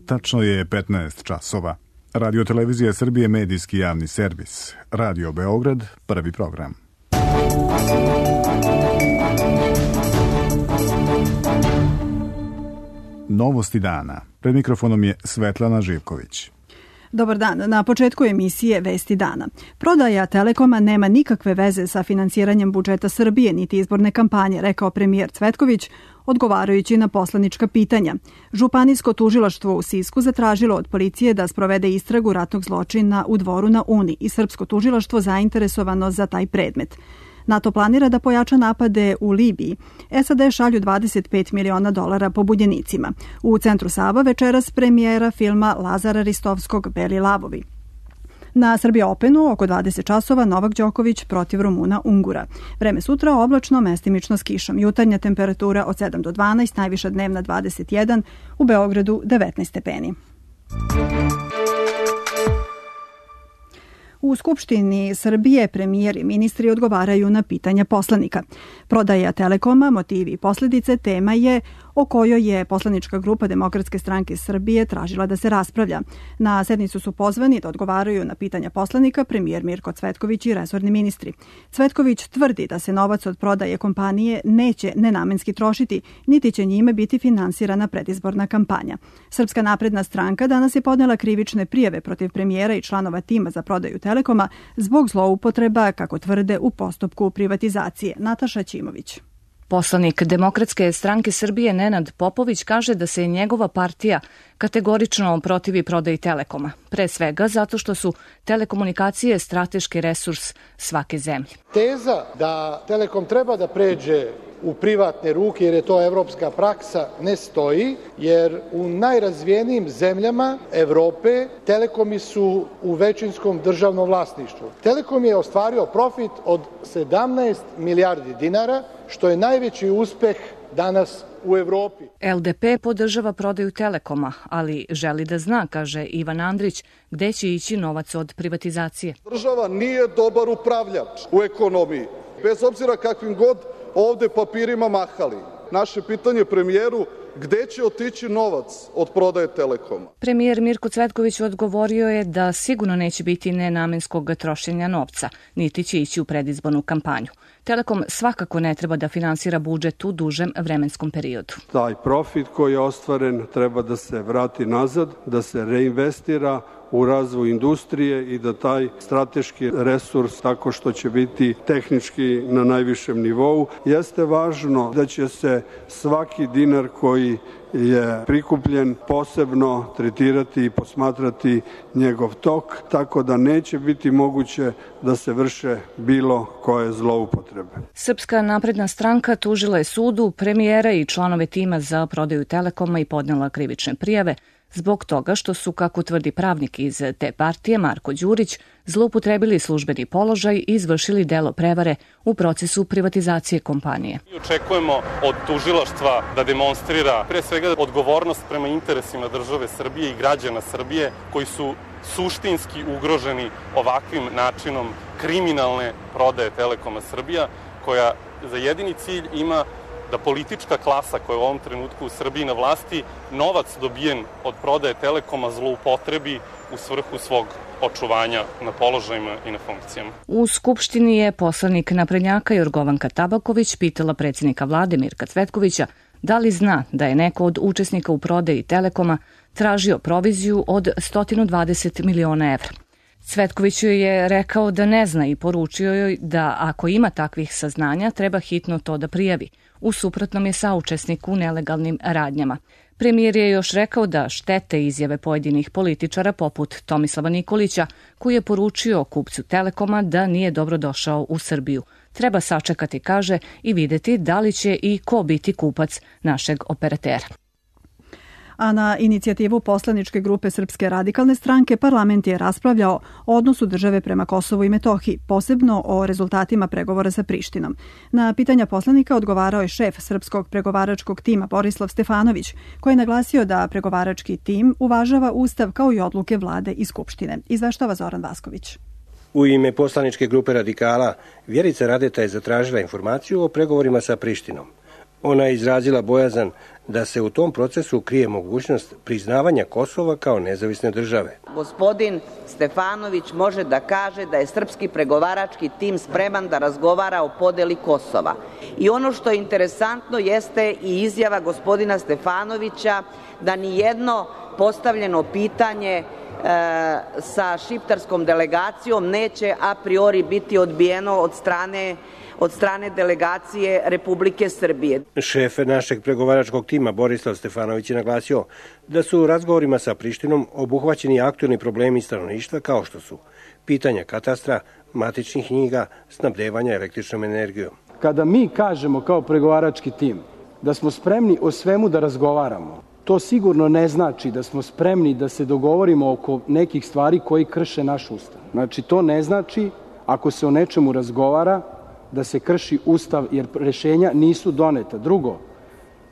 Tačno je 15 časova. Radio Televizija Srbije, medijski javni servis. Radio Beograd, prvi program. Novosti dana. Pred mikrofonom je Svetlana Živković. Dobar dan. Na početku emisije Vesti dana. Prodaja Telekoma nema nikakve veze sa finansiranjem budžeta Srbije niti izborne kampanje, rekao premijer Cvetković, odgovarajući na poslanička pitanja. Županijsko tužilaštvo u Sisku zatražilo od policije da sprovede istragu ratnog zločina u Dvoru na Uni i srpsko tužilaštvo zainteresovano za taj predmet. NATO planira da pojača napade u Libiji. SAD šalju $25 miliona pobunjenicima. U centru Sava večeras premijera filma Lazara Ristovskog Beli lavovi. Na Srbija Openu oko 20 časova Novak Đoković protiv Rumuna Ungura. Vreme sutra oblačno, mestimično s kišom. Jutarnja temperatura od 7 do 12, najviša dnevna 21, u Beogradu 19 stepeni. U Skupštini Srbije premijer i ministri odgovaraju na pitanja poslanika. Prodaja Telekoma, motivi i posljedice tema je o kojoj je poslanička grupa Demokratske stranke Srbije tražila da se raspravlja. Na sednicu su pozvani da odgovaraju na pitanja poslanika premijer Mirko Cvetković i resorni ministri. Cvetković tvrdi da se novac od prodaje kompanije neće nenamenski trošiti, niti će njime biti finansirana predizborna kampanja. Srpska napredna stranka danas je podnela krivične prijave protiv premijera i članova tima za prodaju Telekoma zbog zloupotreba, kako tvrde, u postupku privatizacije. Nataša Ćimović. Poslanik Demokratske stranke Srbije Nenad Popović kaže da se njegova partija kategorično protivi prodaji Telekoma, pre svega zato što su telekomunikacije strateški resurs svake zemlje. Teza da Telekom treba da pređe u privatne ruke jer je to evropska praksa ne stoji, jer u najrazvijenijim zemljama Evrope telekomi su u većinskom državnom vlasništvu. Telekom je ostvario profit od 17 milijardi dinara, što je najveći uspeh danas u Evropi. LDP podržava prodaju Telekoma, ali želi da zna, kaže Ivan Andrić, gde će ići novac od privatizacije. Država nije dobar upravljač u ekonomiji, bez obzira kakvim god ovde papirima mahali. Naše pitanje premijeru, gde će otići novac od prodaje Telekoma? Premijer Mirko Cvetković odgovorio je da sigurno neće biti nenamenskog trošenja novca, niti će ići u predizbornu kampanju. Telekom svakako ne treba da finansira budžet u dužem vremenskom periodu. Taj profit koji je ostvaren treba da se vrati nazad, da se reinvestira u razvoj industrije i da taj strateški resurs, tako što će biti tehnički na najvišem nivou, jeste važno da će se svaki dinar koji je prikupljen posebno tretirati i posmatrati njegov tok, tako da neće biti moguće da se vrše bilo koje zloupotrebe. Srpska napredna stranka tužila je sudu, premijera i članove tima za prodaju Telekoma i podnela krivične prijave zbog toga što su, kako tvrdi pravnik iz te partije Marko Đurić, zloupotrebili službeni položaj i izvršili delo prevare u procesu privatizacije kompanije. Mi očekujemo od tužilaštva da demonstrira pre svega odgovornost prema interesima države Srbije i građana Srbije koji su suštinski ugroženi ovakvim načinom kriminalne prodaje Telekoma Srbija, koja za jedini cilj ima da politička klasa koja je u ovom trenutku u Srbiji na vlasti novac dobijen od prodaje Telekoma zloupotrebi u svrhu svog očuvanja na položajima i na funkcijama. U Skupštini je poslanik naprednjaka Jorgovanka Tabaković pitala predsjednika vlade Mirka Cvetkovića da li zna da je neko od učesnika u prodaji Telekoma tražio proviziju od 120 miliona evra. Cvetković joj je rekao da ne zna i poručio joj da ako ima takvih saznanja treba hitno to da prijavi. U suprotnom je saučesnik u nelegalnim radnjama. Premijer je još rekao da štete izjave pojedinih političara poput Tomislava Nikolića, koji je poručio kupcu Telekoma da nije dobro došao u Srbiju. Treba sačekati, kaže, i videti da li će i ko biti kupac našeg operatera. A na inicijativu poslaničke grupe Srpske radikalne stranke parlament je raspravljao o odnosu države prema Kosovu i Metohiji, posebno o rezultatima pregovora sa Prištinom. Na pitanja poslanika odgovarao je šef srpskog pregovaračkog tima Borislav Stefanović, koji je naglasio da pregovarački tim uvažava Ustav kao i odluke vlade i Skupštine. Izveštava Zoran Vasković. U ime poslaničke grupe radikala Vjerica Radeta je zatražila informaciju o pregovorima sa Prištinom. Ona je izrazila bojazan da se u tom procesu krije mogućnost priznavanja Kosova kao nezavisne države. Gospodin Stefanović može da kaže da je srpski pregovarački tim spreman da razgovara o podeli Kosova. I ono što je interesantno jeste i izjava gospodina Stefanovića da nijedno postavljeno pitanje sa šiptarskom delegacijom neće a priori biti odbijeno od strane delegacije Republike Srbije. Šef našeg pregovaračkog tima Borislav Stefanović je naglasio da su u razgovorima sa Prištinom obuhvaćeni aktuelni problemi stanovništva kao što su pitanja katastra, matičnih knjiga, snabdevanja električnom energijom. Kada mi kažemo kao pregovarački tim da smo spremni o svemu da razgovaramo, to sigurno ne znači da smo spremni da se dogovorimo oko nekih stvari koji krše naš ustav. Znači, to ne znači, ako se o nečemu razgovara, da se krši ustav, jer rešenja nisu doneta. Drugo,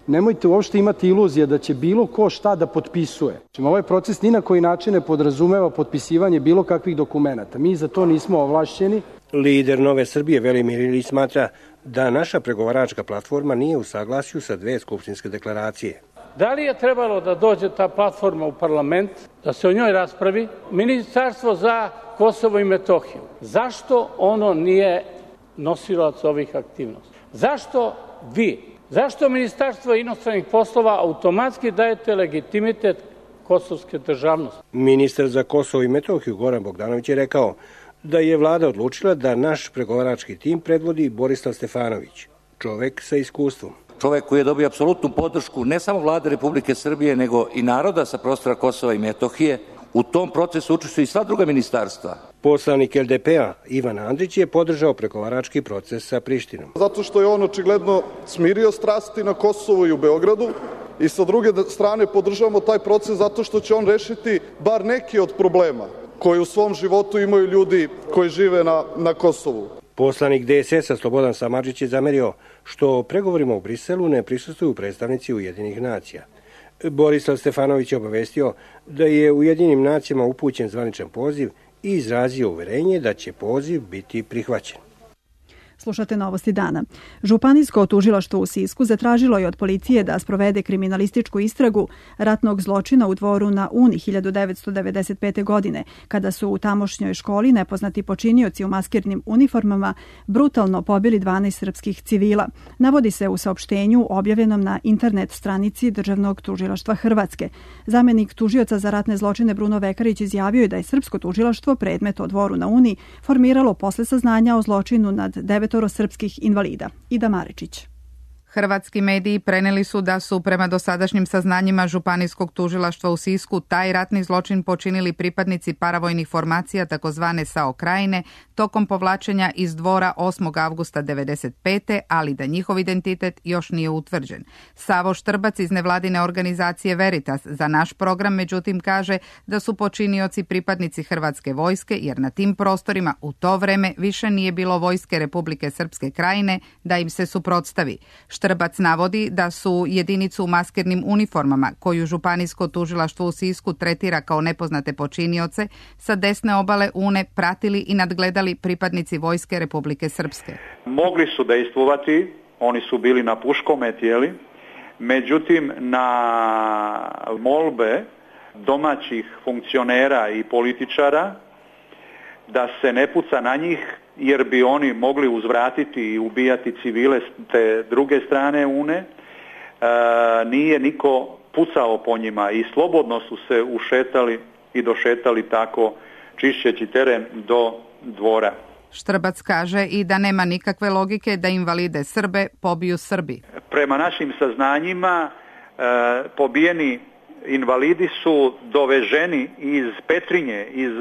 nemojte uopšte imati iluzije da će bilo ko šta da potpisuje. Ovaj proces ni na koji način ne podrazumeva potpisivanje bilo kakvih dokumenata. Mi za to nismo ovlašćeni. Lider Nove Srbije Velimir Ilić smatra da naša pregovaračka platforma nije u saglasju sa dve skupštinske deklaracije. Da li je trebalo da dođe ta platforma u parlament, da se o njoj raspravi? Ministarstvo za Kosovo i Metohiju, zašto ono nije nosilac ovih aktivnosti? Zašto vi? Zašto Ministarstvo inostranih poslova automatski dajete legitimitet kosovske državnosti? Ministar za Kosovo i Metohiju Goran Bogdanović je rekao da je vlada odlučila da naš pregovarački tim predvodi Borislav Stefanović, čovek sa iskustvom. Čovek koji je dobio apsolutnu podršku ne samo vlade Republike Srbije, nego i naroda sa prostora Kosova i Metohije. U tom procesu učestvuju i sva druga ministarstva. Poslanik LDP-a Ivan Andrić je podržao pregovarački proces sa Prištinom. Zato što je on očigledno smirio strasti na Kosovu i u Beogradu i sa druge strane podržavamo taj proces zato što će on rešiti bar neki od problema koji u svom životu imaju ljudi koji žive na Kosovu. Poslanik DSS-a Slobodan Samardžić je zamerio što pregovorima u Briselu ne prisustvuju predstavnici Ujedinjenih nacija. Borislav Stefanović je obavestio da je Ujedinjenim nacijama upućen zvaničan poziv i izrazio uverenje da će poziv biti prihvaćen. Slušate Novosti dana. Županijsko tužilaštvo u Sisku zatražilo je od policije da sprovede kriminalističku istragu ratnog zločina u Dvoru na Uni 1995. godine, kada su u tamošnjoj školi nepoznati počinioci u maskirnim uniformama brutalno pobili 12 srpskih civila. Navodi se u saopštenju objavljenom na internet stranici Državnog tužilaštva Hrvatske. Zamenik tužioca za ratne zločine Bruno Vekarić izjavio je da je srpsko tužilaštvo predmet o Dvoru na Uni formiralo posle saznanja o zločinu nad 9 srpskih invalida. Ida Maričić. Hrvatski mediji preneli su da su prema dosadašnjim saznanjima Županijskog tužilaštva u Sisku taj ratni zločin počinili pripadnici paravojnih formacija takozvane SAO Krajine tokom povlačenja iz Dvora 8. avgusta 1995. ali da njihov identitet još nije utvrđen. Savo Štrbac iz nevladine organizacije Veritas za naš program međutim kaže da su počinioci pripadnici Hrvatske vojske jer na tim prostorima u to vreme više nije bilo vojske Republike Srpske Krajine da im se suprotstavi. Štrbac navodi da su jedinicu u maskirnim uniformama, koju Županijsko tužilaštvo u Sisku tretira kao nepoznate počinioce, sa desne obale Une pratili i nadgledali pripadnici vojske Republike Srpske. Mogli su dejstvovati, oni su bili na puškome tijeli, međutim na molbe domaćih funkcionera i političara da se ne puca na njih, jer bi oni mogli uzvratiti i ubijati civile s te druge strane Une, nije niko pucao po njima i slobodno su se ušetali i došetali tako čišćeći teren do Dvora. Štrbac kaže i da nema nikakve logike da invalide Srbe pobiju Srbi. Prema našim saznanjima pobijeni invalidi su doveženi iz Petrinje, iz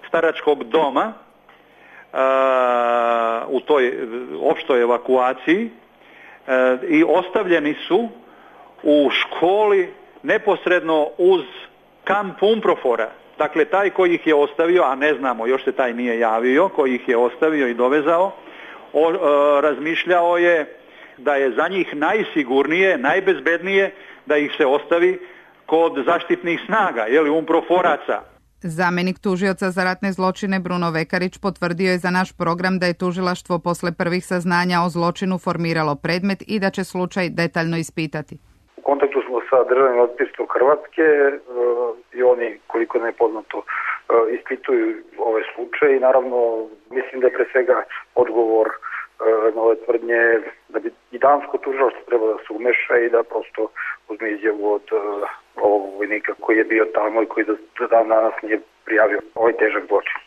staračkog doma, u toj opštoj evakuaciji i ostavljeni su u školi neposredno uz kamp Umprofora. Dakle, taj koji ih je ostavio, a ne znamo, još se taj nije javio, koji ih je ostavio i dovezao, razmišljao je da je za njih najsigurnije, najbezbednije da ih se ostavi kod zaštitnih snaga, Umproforaca. Zamenik tužioca za ratne zločine Bruno Vekarić potvrdio je za naš program da je tužilaštvo posle prvih saznanja o zločinu formiralo predmet i da će slučaj detaljno ispitati. U kontekstu kontaktu smo sa državnim odvjetništvom Hrvatske i oni, koliko ne je poznato, ispituju ovaj slučaj i naravno mislim da je pre svega odgovor na ove tvrdnje da bi i dansko tužilaštvo treba da se umeša i da prosto uzme izjavu od ovog vojnika koji je bio tamo i koji do dan danas nije prijavio ovaj težak zločin.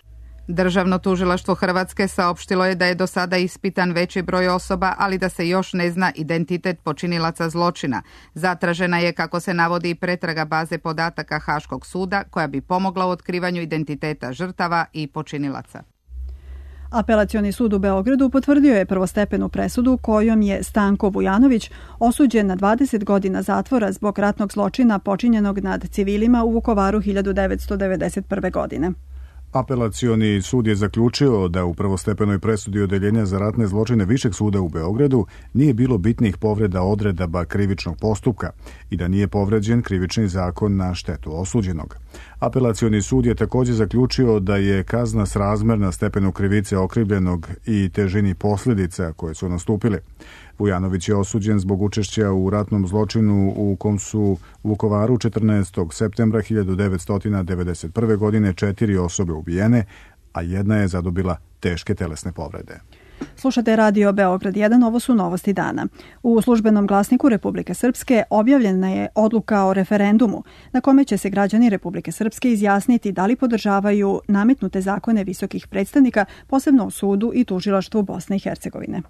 Državno tužilaštvo Hrvatske saopštilo je da je do sada ispitan veći broj osoba, ali da se još ne zna identitet počinilaca zločina. Zatražena je, kako se navodi, pretraga baze podataka Haškog suda koja bi pomogla u otkrivanju identiteta žrtava i počinilaca. Apelacioni sud u Beogradu potvrdio je prvostepenu presudu kojom je Stanko Vujanović osuđen na 20 godina zatvora zbog ratnog zločina počinjenog nad civilima u Vukovaru 1991. godine. Apelacioni sud je zaključio da u prvostepenoj presudi Odeljenja za ratne zločine Višeg suda u Beogradu nije bilo bitnih povreda odredaba krivičnog postupka i da nije povređen krivični zakon na štetu osuđenog. Apelacioni sud je također zaključio da je kazna srazmerna stepenu krivice okrivljenog i težini posljedica koje su nastupile. Vujanović je osuđen zbog učešća u ratnom zločinu u kom su u Vukovaru 14. septembra 1991. godine 4 osobe ubijene, a jedna je zadobila teške telesne povrede. Slušate Radio Beograd 1, ovo su novosti dana. U službenom glasniku Republike Srpske objavljena je odluka o referendumu na kome će se građani Republike Srpske izjasniti da li podržavaju nametnute zakone visokih predstavnika, posebno u sudu i tužilaštvu Bosne i Hercegovine.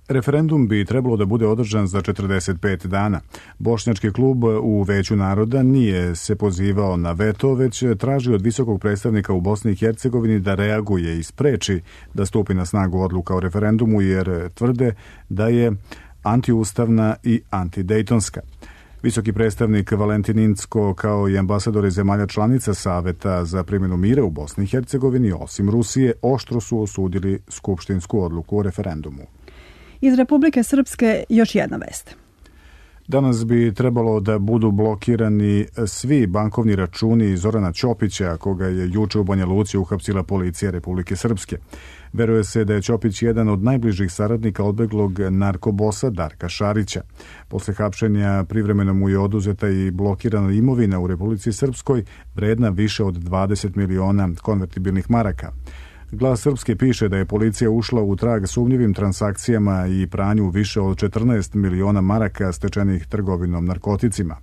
Referendum bi trebalo da bude održan za 45 dana. Bošnjački klub u Veću naroda nije se pozivao na veto, već traži od visokog predstavnika u Bosni i Hercegovini da reaguje i spreči da stupi na snagu odluka o referendumu, jer tvrde da je antiustavna i antidejtonska. Visoki predstavnik Valentin Incko kao i ambasadori zemalja članica Saveta za primjenu mira u Bosni i Hercegovini, osim Rusije, oštro su osudili skupštinsku odluku o referendumu. Iz Republike Srpske još jedna vest. Danas bi trebalo da budu blokirani svi bankovni računi Zorana Ćopića, koga je juče u Banja Luci uhapsila policija Republike Srpske. Veruje se da je Ćopić jedan od najbližih saradnika odbeglog narkobosa Darka Šarića. Posle hapšenja privremeno mu je oduzeta i blokirana imovina u Republici Srpskoj, vredna više od 20 miliona konvertibilnih maraka. Glas Srpske piše da je policija ušla u trag sumnjivim transakcijama i pranju više od 14 miliona maraka stečenih trgovinom narkoticima.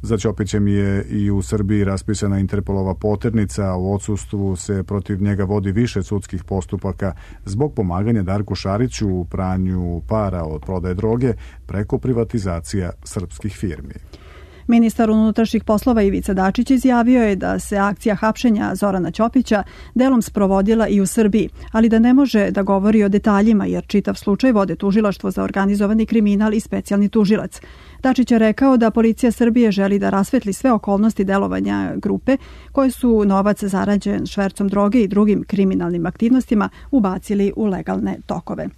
Za Ćopićem je i u Srbiji raspisana Interpolova poternica, a u odsustvu se protiv njega vodi više sudskih postupaka zbog pomaganja Darku Šariću u pranju para od prodaje droge preko privatizacija srpskih firmi. Ministar unutrašnjih poslova Ivica Dačić izjavio je da se akcija hapšenja Zorana Ćopića delom sprovodila i u Srbiji, ali da ne može da govori o detaljima jer čitav slučaj vode tužilaštvo za organizovani kriminal i specijalni tužilac. Dačić je rekao da policija Srbije želi da rasvetli sve okolnosti delovanja grupe koje su novac zarađen švercom droge i drugim kriminalnim aktivnostima ubacili u legalne tokove.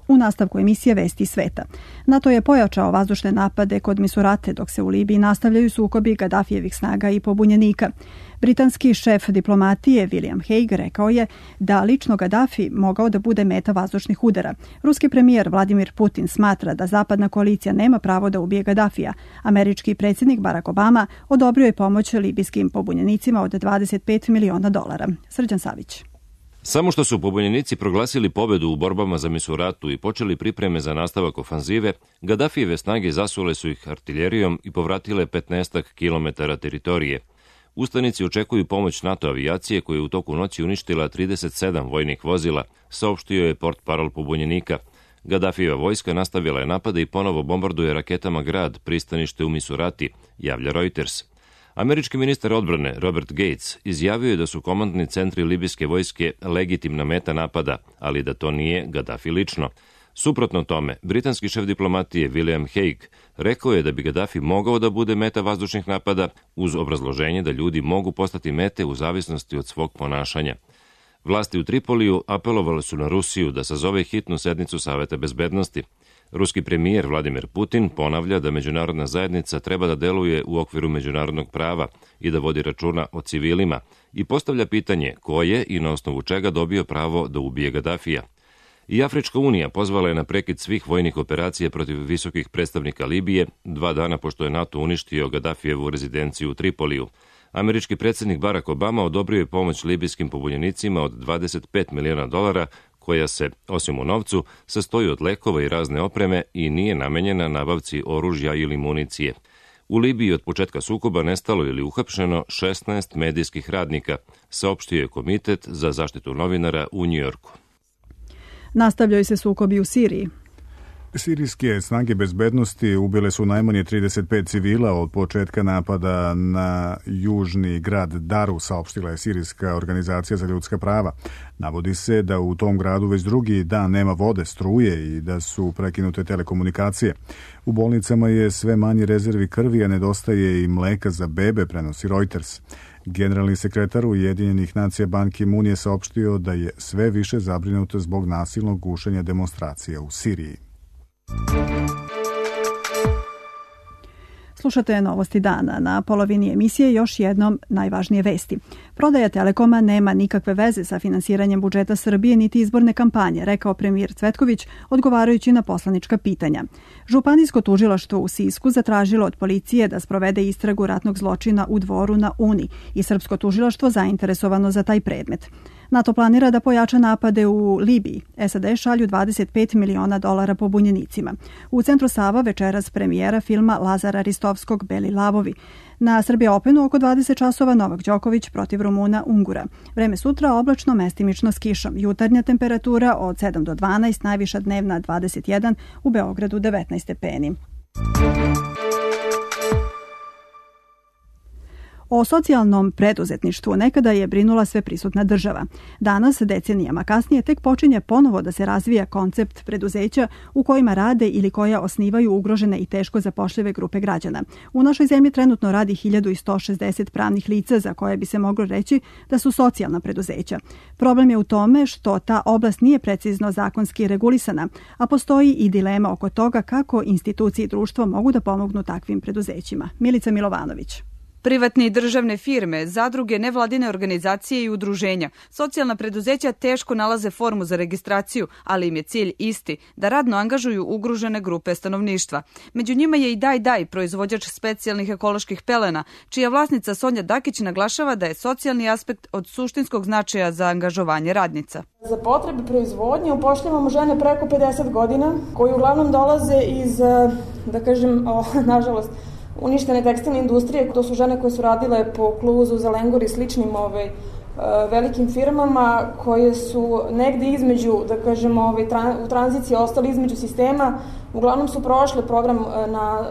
U nastavku emisije Vesti sveta. NATO je pojačao vazdušne napade kod Misurate, dok se u Libiji nastavljaju sukobi Gadafijevih snaga i pobunjenika. Britanski šef diplomatije William Hague rekao je da lično Gadafi mogao da bude meta vazdušnih udara. Ruski premijer Vladimir Putin smatra da zapadna koalicija nema pravo da ubije Gadafija. Američki predsjednik Barack Obama odobrio je pomoć libijskim pobunjenicima od $25 miliona. Srđan Savić. Samo što su pobunjenici proglasili pobedu u borbama za Misuratu i počeli pripreme za nastavak ofanzive, Gadafijeve snage zasule su ih artiljerijom i povratile 15 kilometara teritorije. Ustanici očekuju pomoć NATO avijacije koja je u toku noći uništila 37 vojnih vozila, saopštio je portparol pobunjenika. Gadafijeva vojska nastavila je napade i ponovo bombarduje raketama grad, pristanište u Misurati, javlja Reuters. Američki ministar odbrane Robert Gates izjavio je da su komandni centri libijske vojske legitimna meta napada, ali da to nije Gadafi lično. Suprotno tome, britanski šef diplomatije William Hague rekao je da bi Gadafi mogao da bude meta vazdušnih napada uz obrazloženje da ljudi mogu postati mete u zavisnosti od svog ponašanja. Vlasti u Tripoliju apelovali su na Rusiju da sazove hitnu sednicu Saveta bezbednosti. Ruski premijer Vladimir Putin ponavlja da međunarodna zajednica treba da deluje u okviru međunarodnog prava i da vodi računa o civilima i postavlja pitanje ko je i na osnovu čega dobio pravo da ubije Gadafija. I Afrička unija pozvala je na prekid svih vojnih operacija protiv visokih predstavnika Libije 2 dana pošto je NATO uništio Gadafijevu rezidenciju u Tripoliju. Američki predsjednik Barack Obama odobrio je pomoć libijskim pobunjenicima od $25 miliona, koja se, osim u novcu, sastoji od lekova i razne opreme i nije namenjena nabavci oružja ili municije. U Libiji od početka sukoba nestalo ili uhapšeno 16 medijskih radnika, saopštio je Komitet za zaštitu novinara u Njujorku. Nastavljaju se sukobi u Siriji. Sirijske snage bezbednosti ubile su najmanje 35 civila od početka napada na južni grad Daru, saopštila je Sirijska organizacija za ljudska prava. Navodi se da u tom gradu već drugi dan nema vode, struje i da su prekinute telekomunikacije. U bolnicama je sve manje rezervi krvi, a nedostaje i mleka za bebe, prenosi Reuters. Generalni sekretar Ujedinjenih nacija Ban Ki-moon je saopštio da je sve više zabrinut zbog nasilnog gušenja demonstracija u Siriji. Slušate Novosti dana. Na polovini emisije još jednom najvažnije vesti. Prodaja Telekoma nema nikakve veze sa finansiranjem budžeta Srbije niti izborne kampanje, rekao premijer Cvetković odgovarajući na poslanička pitanja. Županijsko tužilaštvo u Sisku zatražilo od policije da sprovede istragu ratnog zločina u Dvoru na Uni i srpsko tužilaštvo zainteresovano za taj predmet. NATO planira da pojača napade u Libiji. SAD šalju $25 miliona pobunjenicima. U centru Sava večeras premijera filma Lazara Ristovskog Beli lavovi. Na Srbija Openu oko 20 časova Novak Đoković protiv Rumuna Ungura. Vreme sutra oblačno, mestimično s kišom. Jutarnja temperatura od 7 do 12, najviša dnevna 21, u Beogradu 19 stepeni. O socijalnom preduzetništvu nekada je brinula sveprisutna država. Danas, decenijama kasnije, tek počinje ponovo da se razvija koncept preduzeća u kojima rade ili koja osnivaju ugrožene i teško zapošljive grupe građana. U našoj zemlji trenutno radi 1160 pravnih lica za koje bi se moglo reći da su socijalna preduzeća. Problem je u tome što ta oblast nije precizno zakonski regulisana, a postoji i dilema oko toga kako institucije i društvo mogu da pomognu takvim preduzećima. Milica Milovanović. Privatne i državne firme, zadruge, nevladine organizacije i udruženja, socijalna preduzeća teško nalaze formu za registraciju, ali im je cilj isti, da radno angažuju ugrožene grupe stanovništva. Među njima je i Daj, proizvođač specijalnih ekoloških pelena, čija vlasnica Sonja Dakić naglašava da je socijalni aspekt od suštinskog značaja za angažovanje radnica. Za potrebe proizvodnje upošljavamo žene preko 50 godina, koji uglavnom dolaze iz, nažalost, uništene tekstilne industrije. To su žene koje su radile po Kluzu, Zelengur i sličnim velikim firmama koje su negde između, u tranziciji ostali između sistema. Uglavnom su prošle program na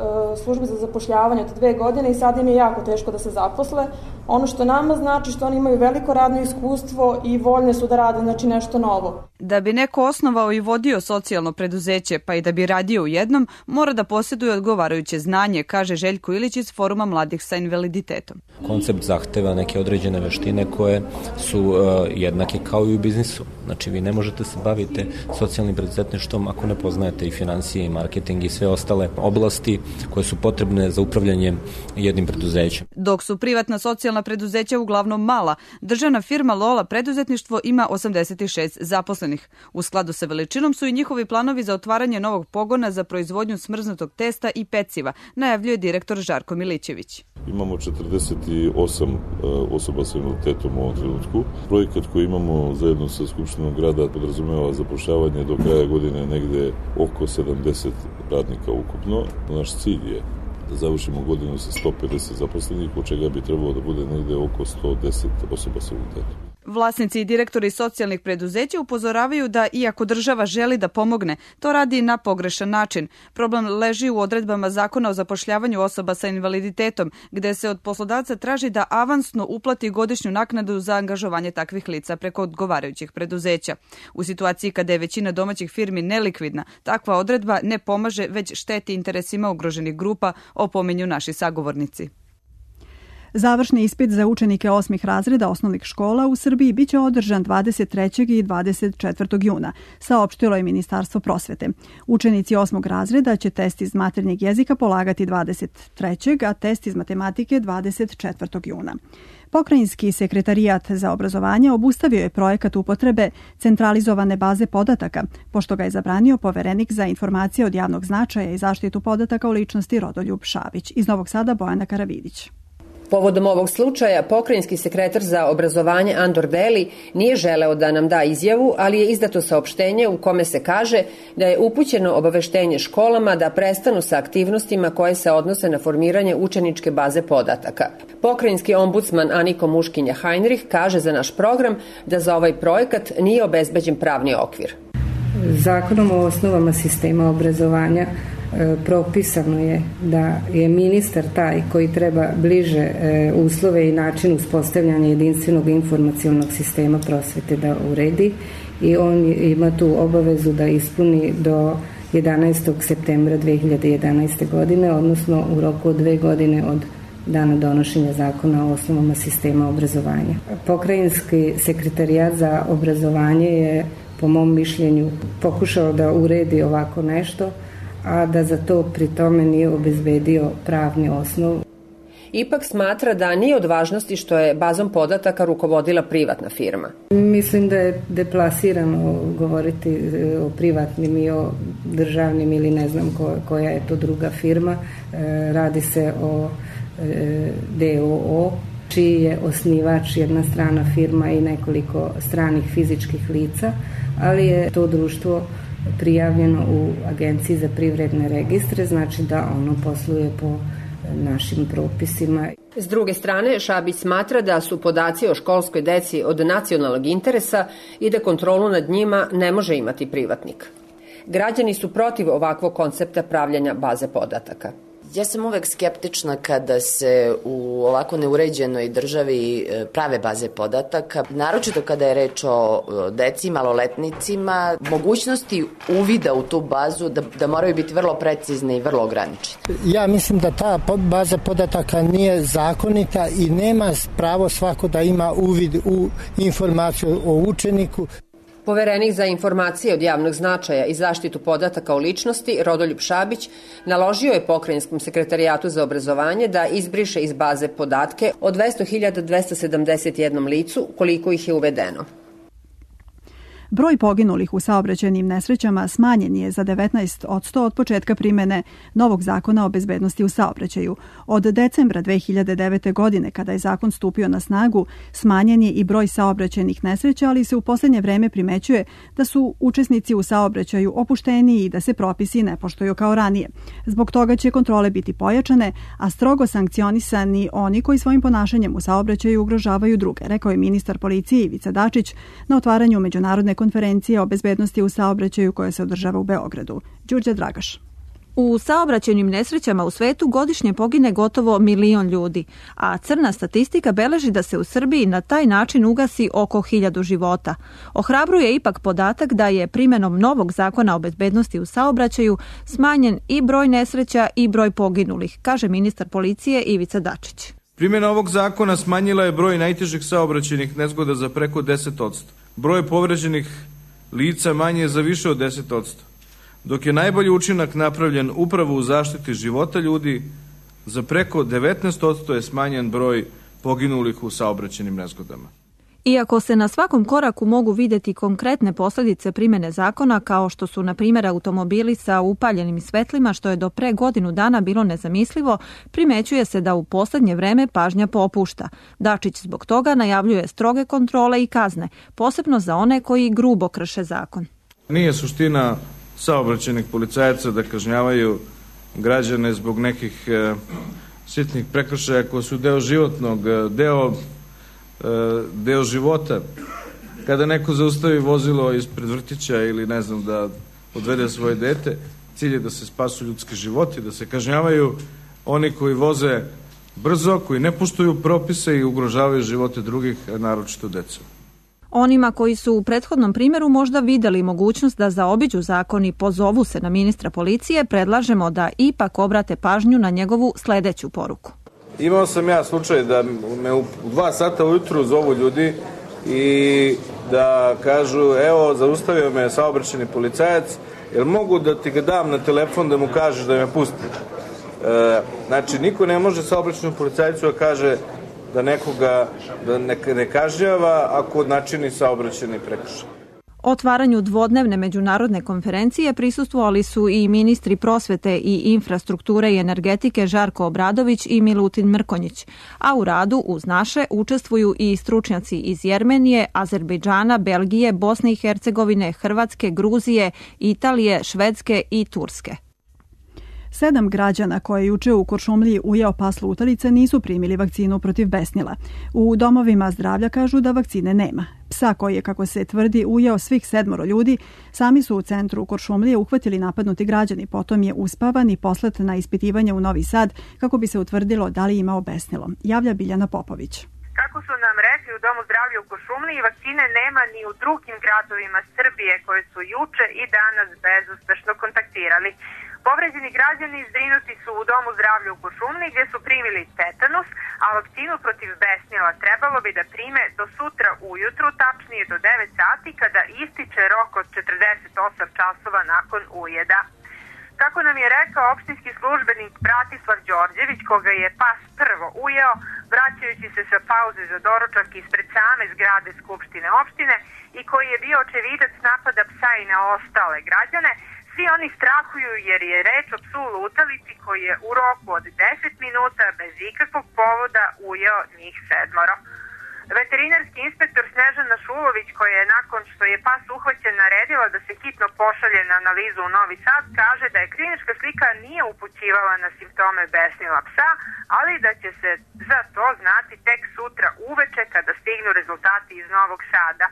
službi za zapošljavanje od 2 godine i sad im je jako teško da se zaposle. Ono što nama znači što oni imaju veliko radno iskustvo i voljne su da rade nešto novo. Da bi neko osnovao i vodio socijalno preduzeće, pa i da bi radio u jednom, mora da posjeduje odgovarajuće znanje, kaže Željko Ilić iz Foruma mladih sa invaliditetom. Koncept zahteva neke određene veštine koje su jednake kao i u biznisu. Znači, vi ne možete se baviti socijalnim preduzetništvom ako ne poznajete i financije, i marketing i sve ostale oblasti koje su potrebne za upravljanje jednim preduzećem. Dok su privatna socijalna preduzeća uglavnom mala, državna firma Lola preduzetništvo ima 86 zaposlenih. U skladu sa veličinom su i njihovi planovi za otvaranje novog pogona za proizvodnju smrznutog testa i peciva, najavljuje direktor Žarko Milićević. Imamo 48 osoba sa invaliditetom u ovom trenutku. Projekat koji imamo zajedno sa Skupštinom grada podrazumeva zapošljavanje do kraja godine negde oko 70 radnika ukupno. Naš cilj je da završimo godinu sa 150 zaposlenih, od čega bi trebalo da bude negde oko 110 osoba sa invaliditetom. Vlasnici i direktori socijalnih preduzeća upozoravaju da, iako država želi da pomogne, to radi na pogrešan način. Problem leži u odredbama Zakona o zapošljavanju osoba sa invaliditetom, gde se od poslodavca traži da avansno uplati godišnju naknadu za angažovanje takvih lica preko odgovarajućih preduzeća. U situaciji kada je većina domaćih firmi nelikvidna, takva odredba ne pomaže, već šteti interesima ugroženih grupa, opominju naši sagovornici. Završni ispit za učenike 8. razreda osnovnih škola u Srbiji biće održan 23. i 24. juna, saopštilo je Ministarstvo prosvete. Učenici 8. razreda će test iz maternjeg jezika polagati 23. a test iz matematike 24. juna. Pokrajinski sekretarijat za obrazovanje obustavio je projekat upotrebe centralizovane baze podataka, pošto ga je zabranio Poverenik za informacije od javnog značaja i zaštitu podataka o ličnosti Rodoljub Šabić. Iz Novog Sada Bojana Karavidić. Povodom ovog slučaja, pokrajinski sekretar za obrazovanje Andor Deli nije želeo da nam da izjavu, ali je izdato saopštenje u kome se kaže da je upućeno obaveštenje školama da prestanu sa aktivnostima koje se odnose na formiranje učeničke baze podataka. Pokrajinski ombudsman Aniko Muškinja-Heinrich kaže za naš program da za ovaj projekat nije obezbeđen pravni okvir. Zakonom o osnovama sistema obrazovanja propisano je da je ministar taj koji treba bliže uslove i način uspostavljanja jedinstvenog informacionog sistema prosvete da uredi i on ima tu obavezu da ispuni do 11. septembra 2011. godine, odnosno u roku od 2 godine od dana donošenja zakona o osnovama sistema obrazovanja. Pokrajinski sekretarijat za obrazovanje je, po mom mišljenju, pokušao da uredi ovako nešto, a da za to pri tome nije obezbedio pravni osnov. Ipak smatra da nije od važnosti što je bazom podataka rukovodila privatna firma. Mislim da je deplasirano govoriti o privatnim i o državnim ili ne znam koja je to druga firma. Radi se o DOO, čiji je osnivač jedna strana firma i nekoliko stranih fizičkih lica, ali je to društvo prijavljeno u Agenciji za privredne registre, znači da ono posluje po našim propisima. S druge strane, Šabić smatra da su podaci o školskoj deci od nacionalnog interesa i da kontrolu nad njima ne može imati privatnik. Građani su protiv ovakvog koncepta pravljanja baze podataka. Ja sam uvek skeptična kada se u ovako neuređenoj državi prave baze podataka, naročito kada je reč o deci, maloletnicima, mogućnosti uvida u tu bazu da moraju biti vrlo precizne i vrlo ograničene. Ja mislim da ta baza podataka nije zakonita i nema pravo svako da ima uvid u informaciju o učeniku. Poverenik za informacije od javnog značaja i zaštitu podataka o ličnosti, Rodoljub Šabić, naložio je Pokrajinskom sekretarijatu za obrazovanje da izbriše iz baze podatke o 200.271 licu, koliko ih je uvedeno. Broj poginulih u saobraćajnim nesrećama smanjen je za 19% od početka primene novog zakona o bezbednosti u saobraćaju. Od decembra 2009. godine, kada je zakon stupio na snagu, smanjen je i broj saobraćajnih nesreća, ali se u poslednje vreme primećuje da su učesnici u saobraćaju opušteniji i da se propisi ne poštuju kao ranije. Zbog toga će kontrole biti pojačane, a strogo sankcionisani oni koji svojim ponašanjem u saobraćaju ugrožavaju druge, rekao je ministar policije Ivica Dačić na otvaranju međunarodne konferencije o bezbednosti u saobraćaju koja se održava u Beogradu. Đurđa Dragaš. U saobraćajnim nesrećama u svetu godišnje pogine gotovo 1 milion ljudi, a crna statistika beleži da se u Srbiji na taj način ugasi oko 1000 života. Ohrabruje ipak podatak da je primenom novog zakona o bezbednosti u saobraćaju smanjen i broj nesreća i broj poginulih, kaže ministar policije Ivica Dačić. Primjena ovog zakona smanjila je broj najtežih saobraćajnih nezgoda za preko 10%. Broj povređenih lica manje je za više od 10%, dok je najbolji učinak napravljen upravo u zaštiti života ljudi, za preko 19% je smanjen broj poginulih u saobraćajnim nezgodama. Iako se na svakom koraku mogu vidjeti konkretne posljedice primjene zakona, kao što su, na primjer, automobili sa upaljenim svetlima, što je do pre godinu dana bilo nezamislivo, primećuje se da u posljednje vreme pažnja popušta. Dačić zbog toga najavljuje stroge kontrole i kazne, posebno za one koji grubo krše zakon. Nije suština saobraćajnih policajaca da kažnjavaju građane zbog nekih sitnih prekršaja koji su deo životnog, deo života. Kada neko zaustavi vozilo ispred vrtića ili ne znam da odvede svoje dete, cilj je da se spasu ljudski životi, da se kažnjavaju oni koji voze brzo, koji ne poštuju propise i ugrožavaju živote drugih, naročito decu. Onima koji su u prethodnom primjeru možda videli mogućnost da zaobiđu zakon i pozovu se na ministra policije, predlažemo da ipak obrate pažnju na njegovu sljedeću poruku. Imao sam ja slučaj da me u 2 sata ujutru zovu ljudi i da kažu, evo, zaustavio me saobraćajni policajac, jel mogu da ti ga dam na telefon da mu kažeš da me pusti? Znači, niko ne može saobraćajnom policajcu da kaže da nekoga ne kažnjava ako načini saobraćajni prekršaj. Otvaranju dvodnevne međunarodne konferencije prisustvovali su i ministri prosvete i infrastrukture i energetike Žarko Obradović i Milutin Mrkonjić, a u radu uz naše učestvuju i stručnjaci iz Jermenije, Azerbejdžana, Belgije, Bosne i Hercegovine, Hrvatske, Gruzije, Italije, Švedske i Turske. 7 građana koje juče u Kuršumliji ujeo pas lutalice nisu primili vakcinu protiv besnila. U domovima zdravlja kažu da vakcine nema. Psa koji je, kako se tvrdi, ujeo svih 7 ljudi, sami su u centru Kuršumlije uhvatili napadnuti građani, potom je uspavan i poslat na ispitivanje u Novi Sad kako bi se utvrdilo da li imao besnilo. Javlja Biljana Popović. Kako su nam rekli u Domu zdravlja u Kuršumliji, vakcine nema ni u drugim gradovima Srbije koje su juče i danas bezuspešno kontaktirali. Povređeni građani zbrinuti su u Domu zdravlja u Kuršumliji gdje su primili tetanus, a vakcinu protiv besnila trebalo bi da prime do sutra ujutru, tačnije do 9 sati kada ističe rok od 48 časova nakon ujeda. Kako nam je rekao opštinski službenik Bratislav Đorđević, koga je pas prvo ujeo, vraćajući se sa pauze za doručak ispred same zgrade Skupštine opštine i koji je bio očevidac napada psa i na ostale građane, svi oni strahuju jer je reč o psu lutalici koji je u roku od 10 minuta bez ikakvog povoda ujeo njih 7. Veterinarski inspektor Snežana Šulović, koja je nakon što je pas uhvaćen naredila da se hitno pošalje na analizu u Novi Sad, kaže da je klinička slika nije upućivala na simptome besnila psa, ali da će se za to znati tek sutra uveče kada stignu rezultati iz Novog Sada.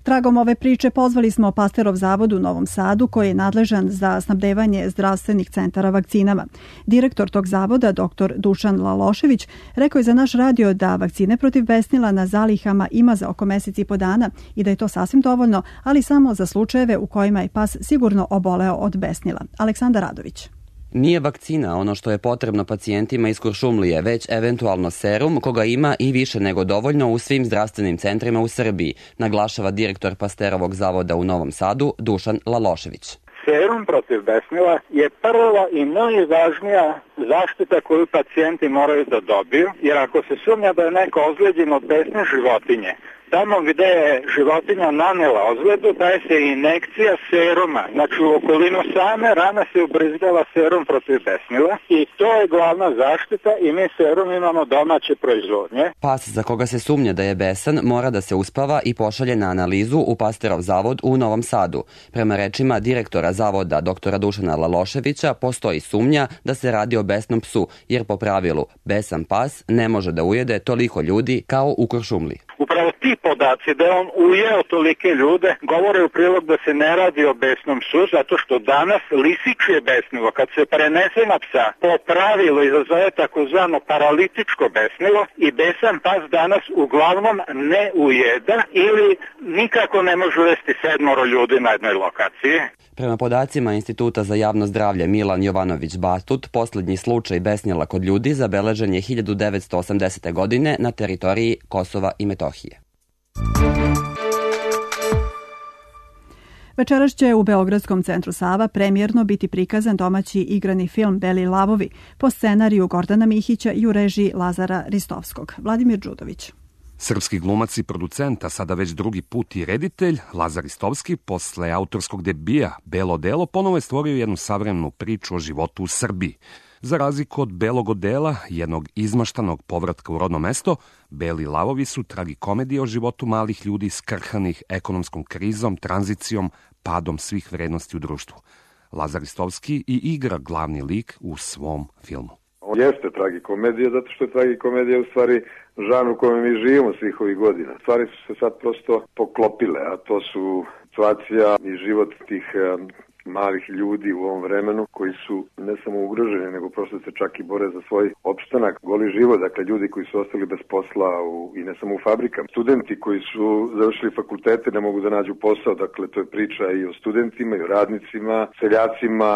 Tragom ove priče pozvali smo Pasterov zavod u Novom Sadu koji je nadležan za snabdevanje zdravstvenih centara vakcinama. Direktor tog zavoda, dr. Dušan Lalošević, rekao je za naš radio da vakcine protiv besnila na zalihama ima za oko mesec i po dana i da je to sasvim dovoljno, ali samo za slučajeve u kojima je pas sigurno oboleo od besnila. Aleksandar Radović. Nije vakcina ono što je potrebno pacijentima iz Kuršumlije, već eventualno serum koga ima i više nego dovoljno u svim zdravstvenim centrima u Srbiji, naglašava direktor Pasterovog zavoda u Novom Sadu Dušan Lalošević. Serum protiv besnila je prva i najvažnija zaštita koju pacijenti moraju da dobiju, jer ako se sumnja da je neko ozlijeđen od besne životinje, tamo gde je životinja nanela ozljedu, daje se injekcija seruma. Znači u okolinu same rane se ubrizgava serum protiv besnila i to je glavna zaštita i mi serum imamo domaće proizvodnje. Pas za koga se sumnja da je besan mora da se uspava i pošalje na analizu u Pasterov zavod u Novom Sadu. Prema rečima direktora zavoda dr. Dušana Laloševića postoji sumnja da se radi o besnom psu, jer po pravilu besan pas ne može da ujede toliko ljudi kao u Kuršumliji. Upravo ti podaci da je on ujeo tolike ljude govore u prilog da se ne radi o besnom psu, zato što danas lisičje besnilo, kad se prenese na psa, po pravilu izazove takozvano paralitičko besnilo i besan pas danas uglavnom ne ujeda ili nikako ne može uvesti 7 ljudi na jednoj lokaciji. Prema podacima Instituta za javno zdravlje Milan Jovanović Batut, posljednji slučaj besnila kod ljudi zabeležen je 1980. godine na teritoriji Kosova i Metohije. Večeras će u Beogradskom centru Sava premijerno biti prikazan domaći igrani film Beli lavovi po scenariju Gordana Mihića i u režiji Lazara Ristovskog. Vladimir Đudović. Srpski glumac i producent, a sada već drugi put i reditelj, Lazar Ristovski, posle autorskog debija Belo delo, ponovo je stvorio jednu savremenu priču o životu u Srbiji. Za razliku od Belog odela, jednog izmaštanog povratka u rodno mesto, Beli lavovi su tragikomedije o životu malih ljudi skrhanih ekonomskom krizom, tranzicijom, padom svih vrednosti u društvu. Lazar Ristovski i igra glavni lik u svom filmu. Jeste tragikomedija, zato što je tragikomedija u stvari žanr u kojem mi živimo svih ovih godina. Stvari su se sad prosto poklopile, a to su situacija i život tih malih ljudi u ovom vremenu koji su ne samo ugroženi, nego prosto se čak i bore za svoj opstanak, goli život, dakle ljudi koji su ostali bez posla i ne samo u fabrikama. Studenti koji su završili fakultete ne mogu da nađu posao, dakle to je priča i o studentima, i o radnicima, seljacima,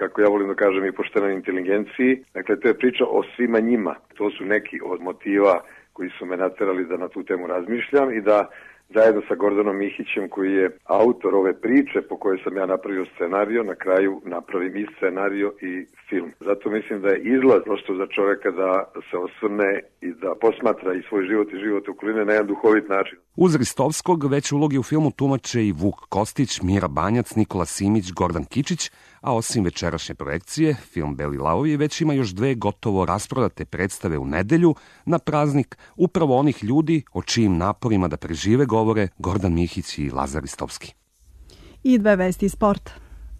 kako ja volim da kažem, i poštenoj inteligenciji. Dakle, to je priča o svima njima. To su neki od motiva koji su me naterali da na tu temu razmišljam i da zajedno sa Gordanom Mihićem, koji je autor ove priče po kojoj sam ja napravio scenario, na kraju napravim i scenario i film. Zato mislim da je izlaz prosto za čoveka da se osvrne i da posmatra i svoj život i život okoline na jedan duhovit način. Uz Ristovskog već uloge u filmu tumače i Vuk Kostić, Mira Banjac, Nikola Simić, Gordan Kičić, a osim večerašnje projekcije, film Beli lavovi već ima još 2 gotovo rasprodate predstave u nedelju na praznik upravo onih ljudi o čijim naporima da prežive govore Gordan Mihić i Lazar Ristovski. I 2 vesti iz sporta.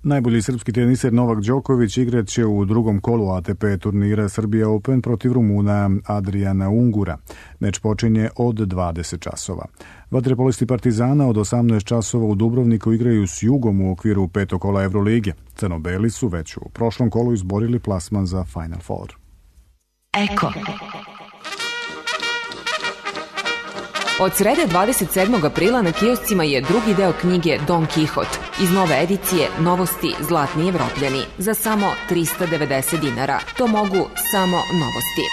Najbolji srpski teniser Novak Đoković igrat će u drugom kolu ATP turnira Srbija Open protiv Rumuna Adriana Ungura. Meč počinje od 20 časova. Vaterpolisti Partizana od 18 časova u Dubrovniku igraju s Jugom u okviru 5. kola Evrolige. Crno-beli su već u prošlom kolu izborili plasman za Final Four. Eko. Od srede 27. aprila na kioscima je drugi deo knjige Don Kihot. Iz nove edicije Novosti Zlatni Evropljani za samo 390 dinara. To mogu samo Novosti.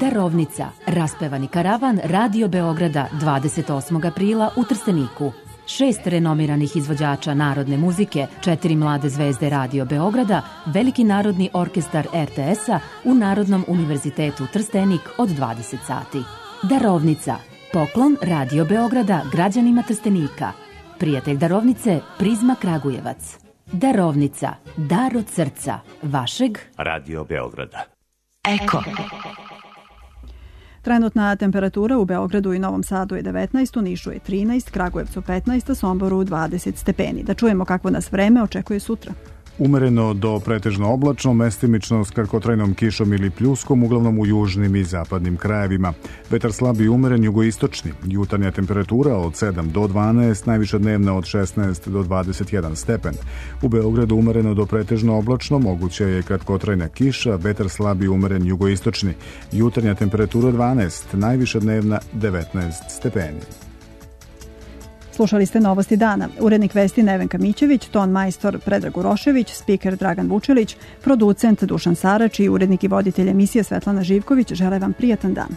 Darovnica. Raspevani karavan Radio Beograda 28. aprila u Trsteniku. 6 renomiranih izvođača narodne muzike, 4 mlade zvezde Radio Beograda, Veliki narodni orkestar RTS-a u Narodnom univerzitetu Trstenik od 20 sati. Darovnica. Poklon Radio Beograda građanima Trstenika. Prijatelj darovnice Prizma Kragujevac. Darovnica. Dar od srca. Vašeg Radio Beograda. Eko. Trenutna temperatura u Beogradu i Novom Sadu je 19, u Nišu je 13, Kragujevcu 15, a Somboru 20 stepeni. Da čujemo kakvo nas vreme očekuje sutra. Umereno do pretežno oblačno, mestimično s kratkotrajnom kišom ili pljuskom, uglavnom u južnim i zapadnim krajevima. Vetar slab i umeren jugoistočni. Jutarnja temperatura od 7 do 12, najviša dnevna od 16 do 21 stepen. U Beogradu umereno do pretežno oblačno, moguća je kratkotrajna kiša, vetar slab i umeren jugoistočni. Jutarnja temperatura 12, najviša dnevna 19 stepeni. Slušali ste Novosti dana. Urednik vesti Nevenka Mićević, ton majstor Predrag Urošević, spiker Dragan Vučelić, producent Dušan Sarač i urednik i voditelj emisije Svetlana Živković žele vam prijatan dan.